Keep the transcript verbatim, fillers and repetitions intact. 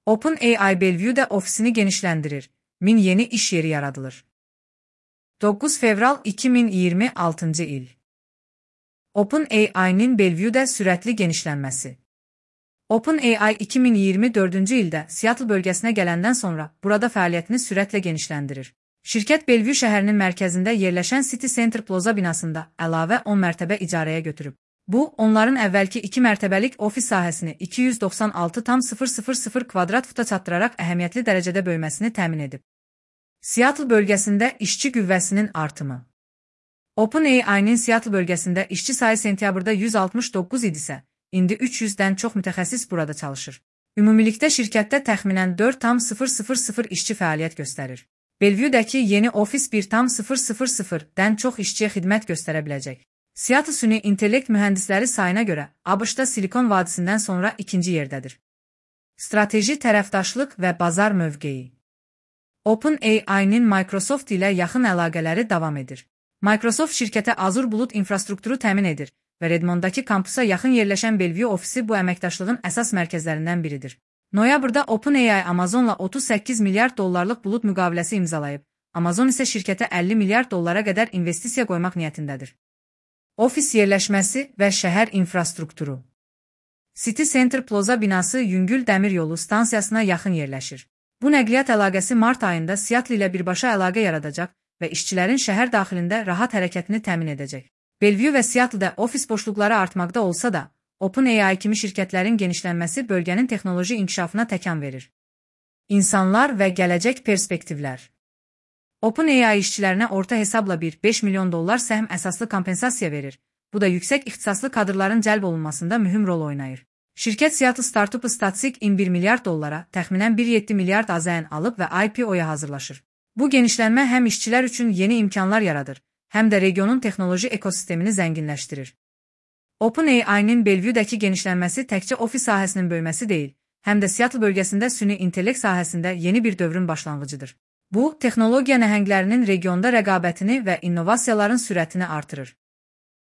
OpenAI Bellevue'de ofisini genişlendirir. Min yeni iş yeri yaradılır. dokuz fevral iki min iyirmi altıncı il. OpenAI'nin Bellevue'de sürətli genişlənməsi. OpenAI iki min iyirmi dördüncü ildə Seattle bölgəsinə gələndən sonra burada fəaliyyətini sürətlə genişləndirir. Şirkət Bellevue şəhərinin mərkəzində yerləşən City Center Plaza binasında əlavə on mərtəbə icarəyə götürüb. Bu, onların əvvəlki iki mərtəbəlik ofis sahəsini iki yüz doxsan altı tam sıfır sıfır sıfır kvadrat futa çatdıraraq əhəmiyyətli dərəcədə böyüməsini təmin edib. Seattle bölgəsində işçi qüvvəsinin artımı. OpenAI'nin Seattle bölgəsində işçi sayı sentyabrda yüz altmış doqquz idisə, indi üç yüzdən çox mütəxəssis burada çalışır. Ümumilikdə şirkətdə təxminən dörd tam sıfır sıfır sıfır işçi fəaliyyət göstərir. Bellevue'dəki yeni ofis bir tam sıfır sıfır sıfırdən çox işçiyə xidmət göstərə biləcək. Seattle süni intellekt mühəndisləri sayına görə A B Ş-da Silikon vadisindən sonra ikinci yerdədir. Strateji tərəfdaşlıq və bazar mövqeyi. OpenAI'nin Microsoft ilə yaxın əlaqələri davam edir. Microsoft şirkətə Azure bulut infrastrukturu təmin edir və Redmonddakı kampusa yaxın yerləşən Bellevue ofisi bu əməkdaşlığın əsas mərkəzlərindən biridir. Noyabrda OpenAI Amazonla otuz səkkiz milyard dollarlıq bulut müqaviləsi imzalayıb, Amazon isə şirkətə əlli milyard dollara qədər investisiya qoymaq niyyətindədir. Ofis yerləşməsi və şəhər infrastrukturu. City Center Plaza binası yüngül dəmir yolu stansiyasına yaxın yerləşir. Bu nəqliyyat əlaqəsi mart ayında Seattle ilə birbaşa əlaqə yaradacaq və işçilərin şəhər daxilində rahat hərəkətini təmin edəcək. Bellevue və Seattle'da ofis boşluqları artmaqda olsa da, OpenAI kimi şirkətlərin genişlənməsi bölgənin texnoloji inkişafına təkan verir. İnsanlar və gələcək perspektivlər. OpenAI işçilərinə orta hesabla bir beş milyon dollar səhm əsaslı kompensasiya verir. Bu da yüksək ixtisaslı kadrların cəlb olunmasında mühüm rol oynayır. Şirkət Seattle startupu Statsig in bir milyard dollara, təxminən bir nöqtə yeddi milyard A Z N alıb və I P O-ya hazırlaşır. Bu genişlənmə həm işçilər üçün yeni imkanlar yaradır, həm də regionun texnoloji ekosistemini zənginləşdirir. OpenAI'nin Bellevue'dəki genişlənməsi təkcə ofis sahəsinin böyüməsi deyil, həm də Seattle bölgəsində süni intellekt sahəsində yeni bir dövrün başlanğıcıdır. Bu, texnologiya nəhənglərinin regionda rəqabətini və innovasiyaların sürətini artırır.